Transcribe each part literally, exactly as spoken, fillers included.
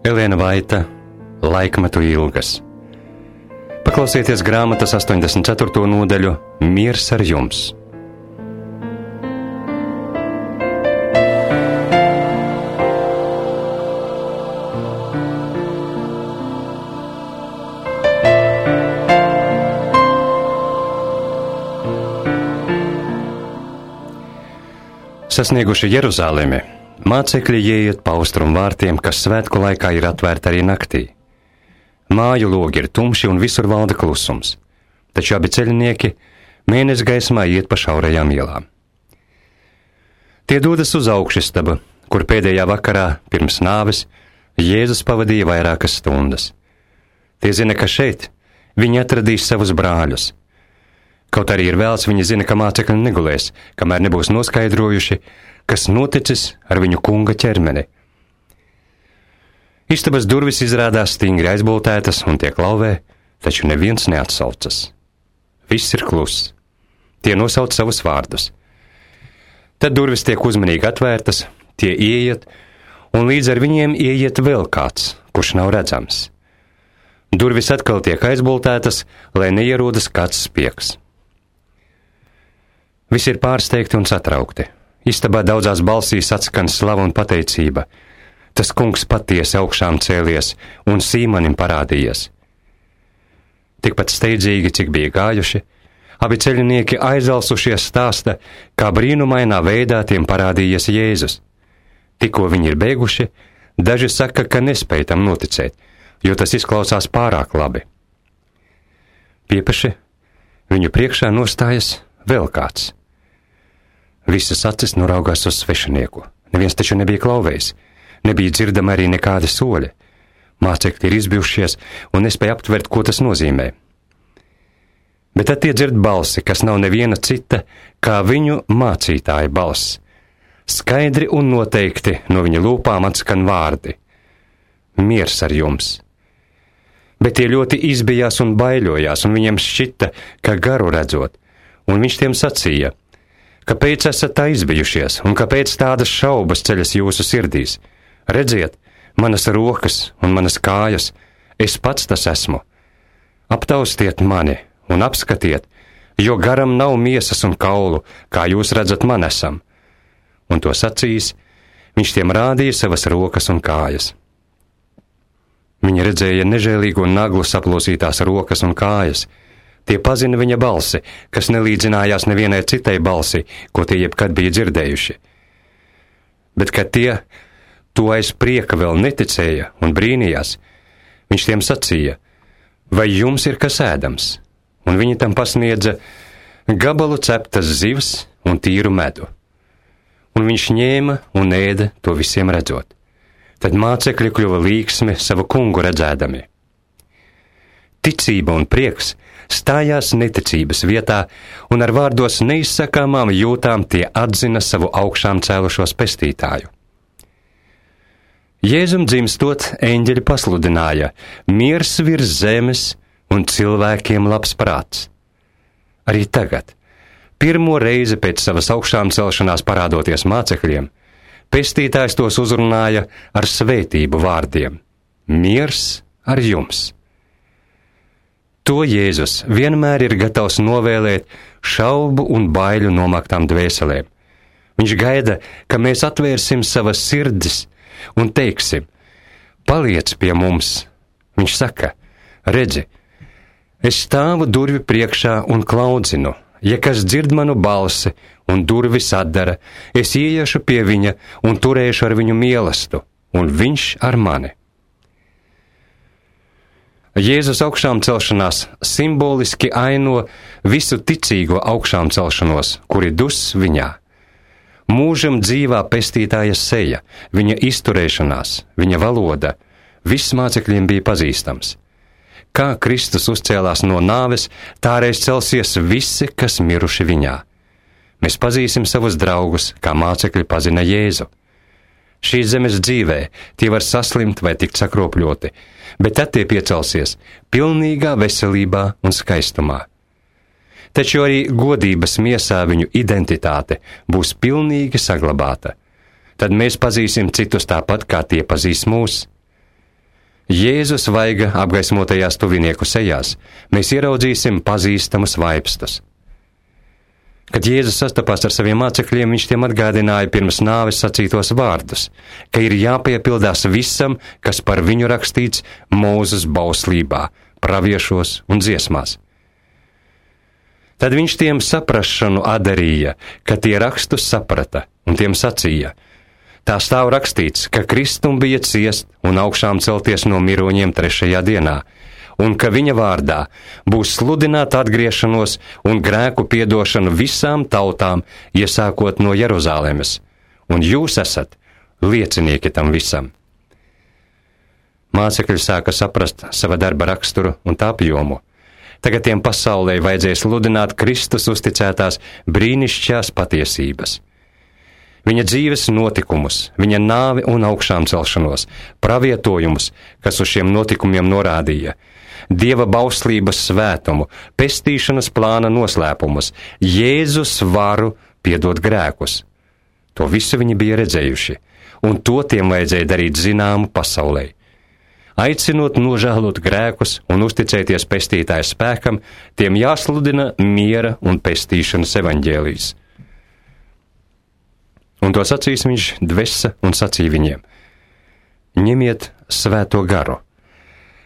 Elēna Vaita, Laikmetu ilgas. Paklausieties grāmatas astoņdesmit ceturto nodaļu Miers ar jums. Sasnieguši Jeruzalemi, mācekļi ieiet pa austrumu vārtiem, kas svētku laikā ir atvērti arī naktī. Māju logi ir tumši un visur valda klusums, taču abi ceļinieki mēnesi gaismā iet pa šaurajām ielām. Tie dodas uz augšistabu, kur pēdējā vakarā pirms nāves Jēzus pavadīja vairākas stundas. Tie zina, ka šeit viņi atradīs savus brāļus. Kaut arī ir vēls, viņi zina, ka mācekļi negulēs, kamēr nebūs noskaidrojuši, kas noticis ar viņu kunga ķermeni. Istabas durvis izrādās stingri aizboltētas un tiek lauvē, taču neviens neatsaucas. Viss ir kluss. Tie nosauc savus vārdus. Tad durvis tiek uzmanīgi atvērtas, tie ieiet, un līdz ar viņiem ieiet vēl kāds, kurš nav redzams. Durvis atkal tiek aizboltētas, lai neierodas kāds spiegs. Visi ir pārsteigti un satraukti. Istabā daudzās balsīs atskan slava un pateicība. Tas kungs patiesi augšām cēlies un Sīmanim parādījies. Tikpat steidzīgi, cik bija gājuši, abi ceļinieki aizalsušies stāsta, kā brīnumainā veidā tiem parādījies Jēzus. Tikko viņi ir beiguši, daži saka, ka nespēj tam noticēt, jo tas izklausās pārāk labi. Piepeši viņu priekšā nostājas vēl kāds. Visas acis noraugās uz svešinieku. Neviens taču nebija klauvējis. Nebija dzirdama arī nekādi soļi. Mācekļi ir izbijušies un nespēja aptvert, ko tas nozīmē. Bet tad tie dzird balsi, kas nav neviena cita, kā viņu mācītāja balss. Skaidri un noteikti no viņa lūpām atskan vārdi. Miers ar jums. Bet tie ļoti izbijās un baiļojās, un viņiem šķita, ka garu redzot, un viņš tiem sacīja: Kāpēc esat tā izbijušies, un kāpēc tādas šaubas ceļas jūsu sirdīs? Redziet, manas rokas un manas kājas, es pats tas esmu. Aptaustiet mani un apskatiet, jo garam nav miesas un kaulu, kā jūs redzat man esam. Un to sacījis, viņš tiem rādīja savas rokas un kājas. Viņi redzēja nežēlīgu un naglu saplosītās rokas un kājas. Tie pazina viņa balsi, kas nelīdzinājās nevienai citai balsi, ko tie jebkad bija dzirdējuši. Bet, kad tie to aiz prieka vēl neticēja un brīnījās, viņš tiem sacīja: vai jums ir kas ēdams? Un viņi tam pasniedza gabalu ceptas zivs un tīru medu. Un viņš ņēma un ēda to visiem redzot. Tad mācekļi kļuva līksmi savu kungu redzēdami. Ticība un prieks stājās neticības vietā, un ar vārdos neizsakāmām jūtām tie atzina savu augšām cēlušos pestītāju. Jēzum dzimstot, eņģeļi pasludināja: miers virs zemes un cilvēkiem labs prāts. Arī tagad, pirmo reizi pēc savas augšām celšanās parādoties mācekļiem, pestītājs tos uzrunāja ar svētību vārdiem: miers ar jums. To Jēzus vienmēr ir gatavs novēlēt šaubu un baiļu nomaktām dvēselēm. Viņš gaida, ka mēs atvērsim savas sirdis un teiksim: paliec pie mums. Viņš saka: redzi, es stāvu durvi priekšā un klaudzinu. Ja kas dzird manu balsi un durvis atdara, es ieiešu pie viņa un turēšu ar viņu mīlestību, un viņš ar mani. Jēzus augšām celšanās simboliski aino visu ticīgo augšām celšanos, kuri dus viņā. Mūžam dzīvā pestītāja seja, viņa izturēšanās, viņa valoda, viss mācekļiem bija pazīstams. Kā Kristus uzcēlās no nāves, tā reiz celsies visi, kas miruši viņā. Mēs pazīsim savus draugus, kā mācekļi pazina Jēzu. Šīs zemes dzīvē tie var saslimt vai tikt sakropļoti, bet tad tie piecelsies pilnīgā veselībā un skaistumā. Taču arī godības miesā viņu identitāte būs pilnīgi saglabāta. Tad mēs pazīsim citus tāpat, kā tie pazīst mūs. Jēzus vaiga apgaismotajās tuvinieku sejās mēs ieraudzīsim pazīstamus vaipstus. Kad Jēzus sastapās ar saviem mācekļiem, viņš tiem atgādināja pirms nāves sacītos vārdus, ka ir jāpiepildās visam, kas par viņu rakstīts Mūzes bauslībā, praviešos un dziesmās. Tad viņš tiem saprašanu atdarīja, ka tie rakstus saprata, un tiem sacīja: tā stāv rakstīts, ka Kristum bija ciest un augšām celties no miroņiem trešajā dienā, un ka viņa vārdā būs sludināta atgriešanos un grēku piedošanu visām tautām, iesākot no Jeruzalemes, un jūs esat liecinieki tam visam. Mācekļi sāka saprast sava darba raksturu un tā apjomu. Tagad tiem pasaulē vajadzēja sludināt Kristus uzticētās brīnišķīgās patiesības. Viņa dzīves notikumus, viņa nāvi un augšām celšanos, pravietojumus, kas uz šiem notikumiem norādīja, Dieva bauslības svētumu, pestīšanas plāna noslēpumus, Jēzus varu piedot grēkus. To visu viņi bija redzējuši, un to tiem vajadzēja darīt zināmu pasaulē. Aicinot nožēlot grēkus un uzticēties pestītāja spēkam, tiem jāsludina miera un pestīšanas evaņģēlijs. Un to sacīs viņš dvesa un sacīja viņiem: ņemiet svēto garu.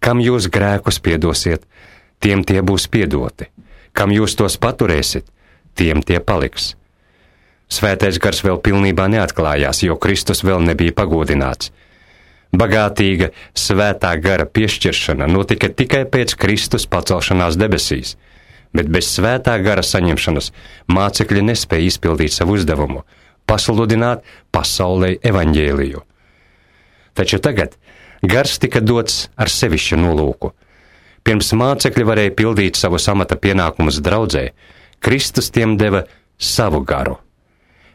Kam jūs grēkus piedosiet, tiem tie būs piedoti. Kam jūs tos paturēsiet, tiem tie paliks. Svētais gars vēl pilnībā neatklājās, jo Kristus vēl nebija pagodināts. Bagātīga svētā gara piešķiršana notika tikai pēc Kristus pacelšanās debesīs, bet bez svētā gara saņemšanas mācekļi nespēja izpildīt savu uzdevumu – pasludināt pasaulei evaņģēliju. Taču tagad gars tika dots ar sevišķu nolūku. Pirms mācekļi varēja pildīt savu amata pienākumus draudzē, Kristus tiem deva savu garu.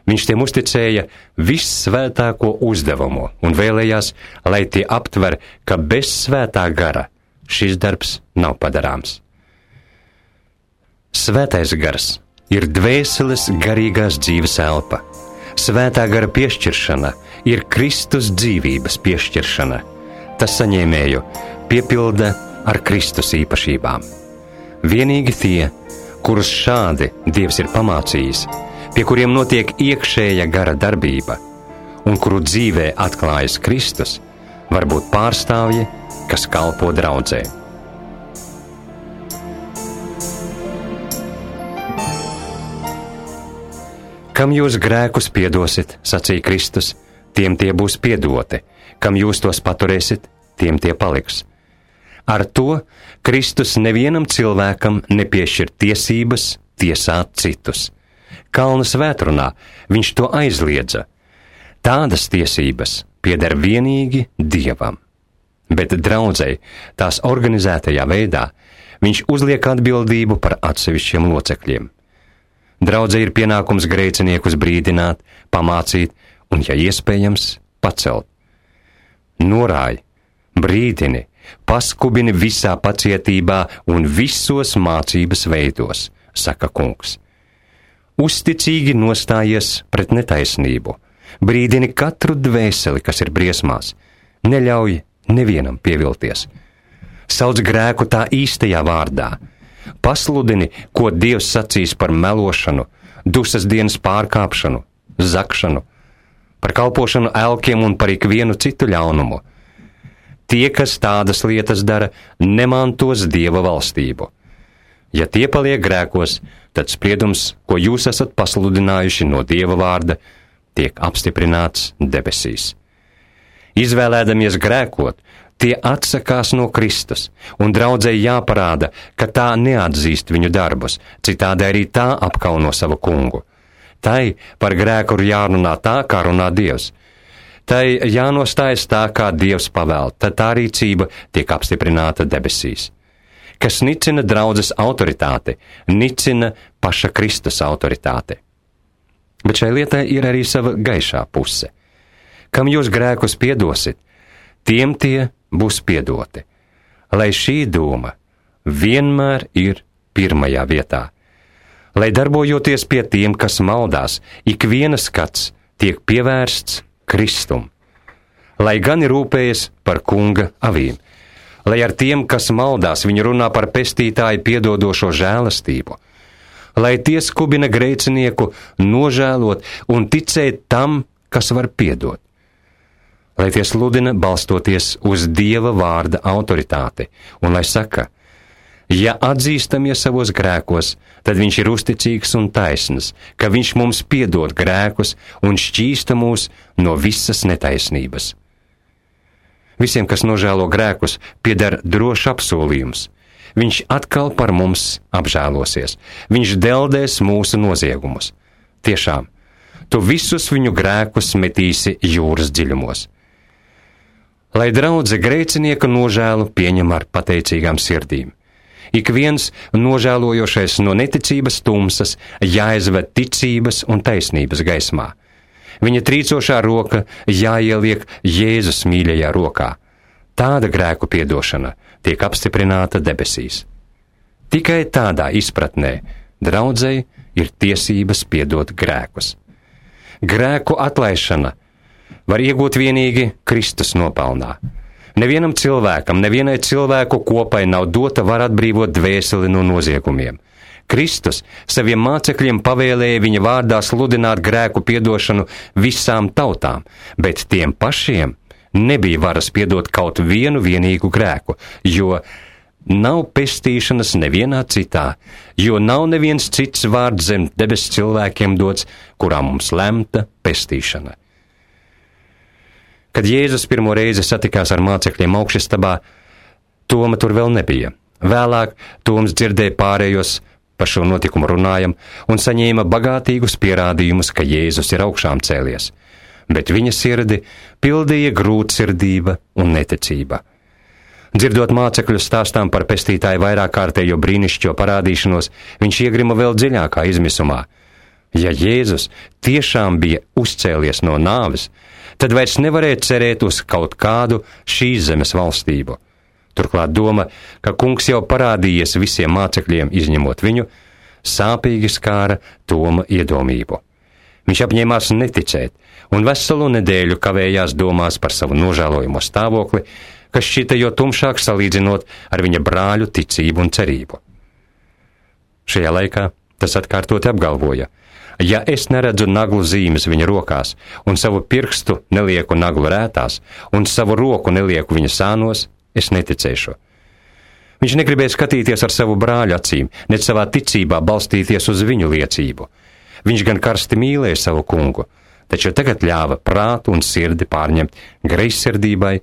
Viņš tiem uzticēja vissvētāko uzdevumu un vēlējās, lai tie aptver, ka bez svētā gara šis darbs nav padarāms. Svētais gars ir dvēseles garīgās dzīves elpa. Svētā gara piešķiršana ir Kristus dzīvības piešķiršana. Tas saņēmēju piepilda ar Kristus īpašībām. Vienīgi tie, kurus šādi Dievs ir pamācījis, pie kuriem notiek iekšēja gara darbība un kuru dzīvē atklājas Kristus, var būt pārstāvji, kas kalpo draudzē. Kam jūs grēkus piedosit, sacīja Kristus, tiem tie būs piedoti. Kam jūs tos paturēsit, tiem tie paliks. Ar to Kristus nevienam cilvēkam nepiešķir tiesības tiesāt citus. Kalna svētrunā viņš to aizliedza. Tādas tiesības pieder vienīgi Dievam. Bet draudzei tās organizētajā veidā viņš uzliek atbildību par atsevišķiem locekļiem. Draudzei ir pienākums grēciniekus brīdināt, pamācīt un, ja iespējams, pacelt. Norāj, brīdini, paskubini visā pacietībā un visos mācības veidos, saka kungs. Uzticīgi nostājies pret netaisnību, brīdini katru dvēseli, kas ir briesmās, neļauj nevienam pievilties. Sauc grēku tā īstajā vārdā, pasludini, ko Dievs sacīs par melošanu, dusas dienas pārkāpšanu, zakšanu, par kalpošanu elkiem un par ikvienu citu ļaunumu. Tie, kas tādas lietas dara, nemantos Dieva valstību. Ja tie paliek grēkos, tad spriedums, ko jūs esat pasludinājuši no Dieva vārda, tiek apstiprināts debesīs. Izvēlēdamies grēkot, tie atsakās no Kristus, un draudzei jāparāda, ka tā neatzīst viņu darbus, citādi arī tā apkauno savu kungu. Tai par grēku ir jārunā tā, kā runā Dievs. Tai jānostājas tā, kā Dievs pavēl, tad tā rīcība tiek apstiprināta debesīs. Kas nicina draudzes autoritāti, nicina paša Kristus autoritāti. Bet šai lietai ir arī sava gaišā puse. Kam jūs grēkus piedosit, tiem tie būs piedoti. Lai šī doma vienmēr ir pirmajā vietā. Lai darbojoties pie tiem, kas maldās, ik viena skats tiek pievērsts Kristum. lai gan ir rūpējies par kunga avīm, lai ar tiem, kas maldās, viņi runā par pestītāju piedodošo žēlastību, lai tie skubina grēcinieku nožēlot un ticēt tam, kas var piedot, lai tie sludina balstoties uz Dieva vārda autoritāti, un lai saka, ja atzīstamies savos grēkos, tad viņš ir uzticīgs un taisns, ka viņš mums piedod grēkus un šķīsta mūs no visas netaisnības. Visiem, kas nožēlo grēkus, pieder drošs apsolījums. Viņš atkal par mums apžēlosies. Viņš deldēs mūsu noziegumus. Tiešām, tu visus viņu grēkus metīsi jūras dziļumos. Lai draudze grēcinieka nožēlu pieņem ar pateicīgām sirdīm. Ik viens nožēlojošais no neticības tumsas jāizved ticības un taisnības gaismā. Viņa trīcošā roka jāieliek Jēzus mīļajā rokā. Tāda grēku piedošana tiek apstiprināta debesīs. Tikai tādā izpratnē draudzei ir tiesības piedot grēkus. Grēku atlaišana var iegūt vienīgi Kristus nopelnā. Nevienam cilvēkam, nevienai cilvēku kopai nav dota var atbrīvot dvēseli no noziegumiem. Kristus saviem mācekļiem pavēlēja viņa vārdā sludināt grēku piedošanu visām tautām, bet tiem pašiem nebija varas piedot kaut vienu vienīgu grēku, jo nav pestīšanas nevienā citā, jo nav neviens cits vārds zem debes cilvēkiem dots, kurā mums lemta pestīšana. Kad Jēzus pirmo reizi satikās ar mācekļiem augšistabā, Toma tur vēl nebija. Vēlāk Toms dzirdēja pārējos par šo notikumu runājam un saņēma bagātīgus pierādījumus, ka Jēzus ir augšām cēlies, bet viņa sirdi pildīja grūtsirdība un neticība. Dzirdot mācekļu stāstām par pestītāju vairāk kārtējo brīnišķo parādīšanos, viņš iegrima vēl dziļākā izmisumā. Ja Jēzus tiešām bija uzcēlies no nāves, tad vairs nevarēja cerēt uz kaut kādu šīs zemes valstību. Turklāt doma, ka kungs jau parādījies visiem mācekļiem, izņemot viņu, sāpīgi skāra Toma iedomību. Viņš apņēmās neticēt, un veselu nedēļu kavējās domās par savu nožēlojamo stāvokli, kas šķita jo tumšāk salīdzinot ar viņa brāļu ticību un cerību. Šajā laikā tas atkārtoti apgalvoja, ja es neredzu naglu zīmes viņa rokās, un savu pirkstu nelieku naglu rētās, un savu roku nelieku viņa sānos, es neticēšu. Viņš negribēja skatīties ar savu brāļu acīm, ne savā ticībā balstīties uz viņu liecību. Viņš gan karsti mīlēja savu kungu, taču tagad ļāva prātu un sirdi pārņemt greizsirdībai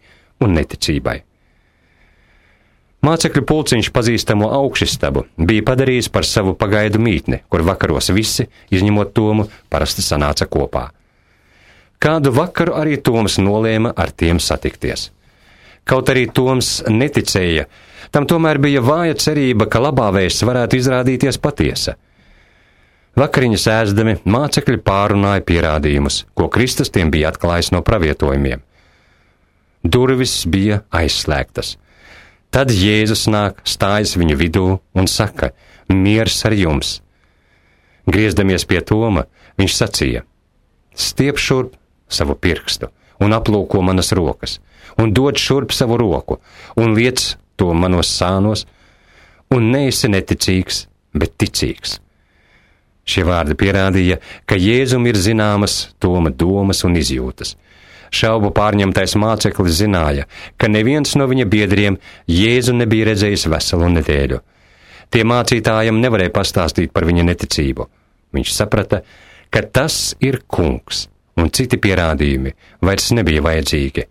un neticībai. Mācekļu pulciņš pazīstamo augšistabu bija padarījis par savu pagaidu mītni, kur vakaros visi, izņemot Tomu, parasti sanāca kopā. Kādu vakaru arī Toms nolēma ar tiem satikties. Kaut arī Toms neticēja, tam tomēr bija vāja cerība, ka labā vēsts varētu izrādīties patiesa. Vakariņas ēzdami mācekļi pārunāja pierādījumus, ko Kristus tiem bija atklājis no pravietojumiem. Durvis bija aizslēgtas. Tad Jēzus nāk, stājas viņu vidū un saka, miers ar jums. Griezdamies pie Toma, viņš sacīja, stiep šurp savu pirkstu un aplūko manas rokas, un dod šurp savu roku, un liec to manos sānos, un neesi neticīgs, bet ticīgs. Šie vārdi pierādīja, ka Jēzum ir zināmas Toma domas un izjūtas. Šaubu pārņemtais māceklis zināja, ka neviens no viņa biedriem Jēzu nebija redzējis veselu nedēļu. Tie mācītājiem nevarēja pastāstīt par viņa neticību. Viņš saprata, ka tas ir kungs, un citi pierādījumi vairs nebija vajadzīgi.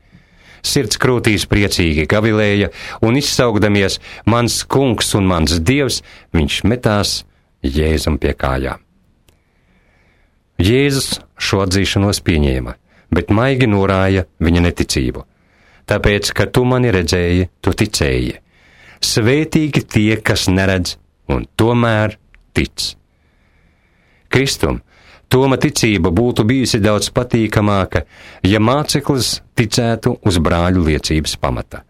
Sirds krūtīs priecīgi gavilēja, un izsaugdamies, mans kungs un mans dievs, viņš metās Jēzum pie kājām. Jēzus šo atzīšanos pieņēma, bet maigi norāja viņa neticību. Tāpēc, ka tu mani redzēji, tu ticēji. Svētīgi tie, kas neredz un tomēr tic. Kristum, Toma ticība būtu bijusi daudz patīkamāka, ja māceklis ticētu uz brāļu liecības pamata.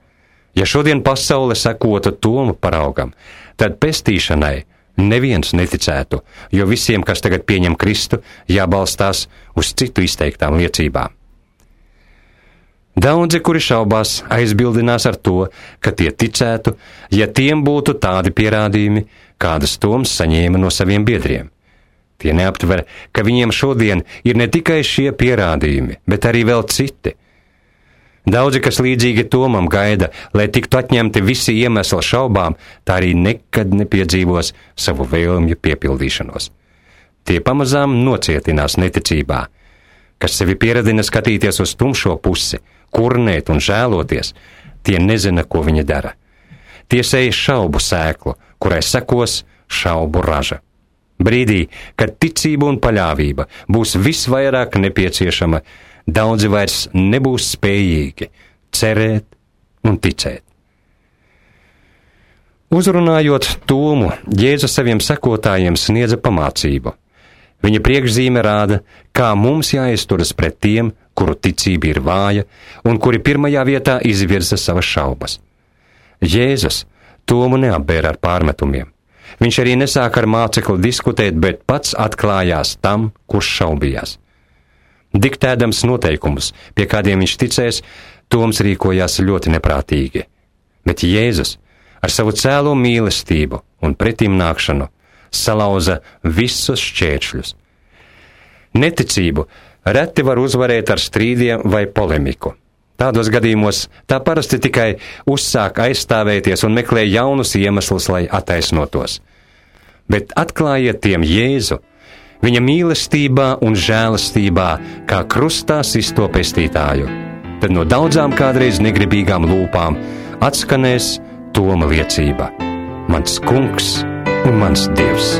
Ja šodien pasaule sekotu Toma paraugam, tad pestīšanai neviens neticētu, jo visiem, kas tagad pieņem Kristu, jābalstās uz citu izteiktām liecībām. Daudzi, kuri šaubās, aizbildinās ar to, ka tie ticētu, ja tiem būtu tādi pierādījumi, kādas Toms saņēma no saviem biedriem. Tie neaptver, ka viņiem šodien ir ne tikai šie pierādījumi, bet arī vēl citi. Daudzi, kas līdzīgi Tomam gaida, lai tiktu atņemti visi iemesli šaubām, tā arī nekad nepiedzīvos savu vēlmju piepildīšanos. Tie pamazām nocietinās neticībā, kas sevi pieradina skatīties uz tumšo pusi, kurnēt un žēloties, tie nezina, ko viņi dara. Tie sēj šaubu sēklu, kurai sekos šaubu raža. Brīdī, kad ticība un paļāvība būs visvairāk nepieciešama, daudzi vairs nebūs spējīgi cerēt un ticēt. Uzrunājot Tomu, Jēzus saviem sekotājiem sniedza pamācību. Viņa priekšzīme rāda, kā mums jāizturas pret tiem, kuru ticība ir vāja un kuri pirmajā vietā izvirza savas šaubas. Jēzus Tomu neapbēra ar pārmetumiem. Viņš arī nesāka ar mācekli diskutēt, bet pats atklājās tam, kurš šaubījās. Diktēdams noteikumus, pie kādiem viņš ticēs, Toms rīkojās ļoti neprātīgi. Bet Jēzus ar savu cēlo mīlestību un pretimnākšanu salauza visus šķēršļus. Neticību reti var uzvarēt ar strīdiem vai polemiku. Tādos gadījumos tā parasti tikai uzsāk aizstāvēties un meklē jaunus iemeslus, lai attaisnotos. Bet atklājiet tiem Jēzu, viņa mīlestībā un žēlastībā, kā krustā sisto pestītāju. Tad no daudzām kādreiz negribīgām lūpām atskanēs Toma liecība: mans kungs un mans Dievs.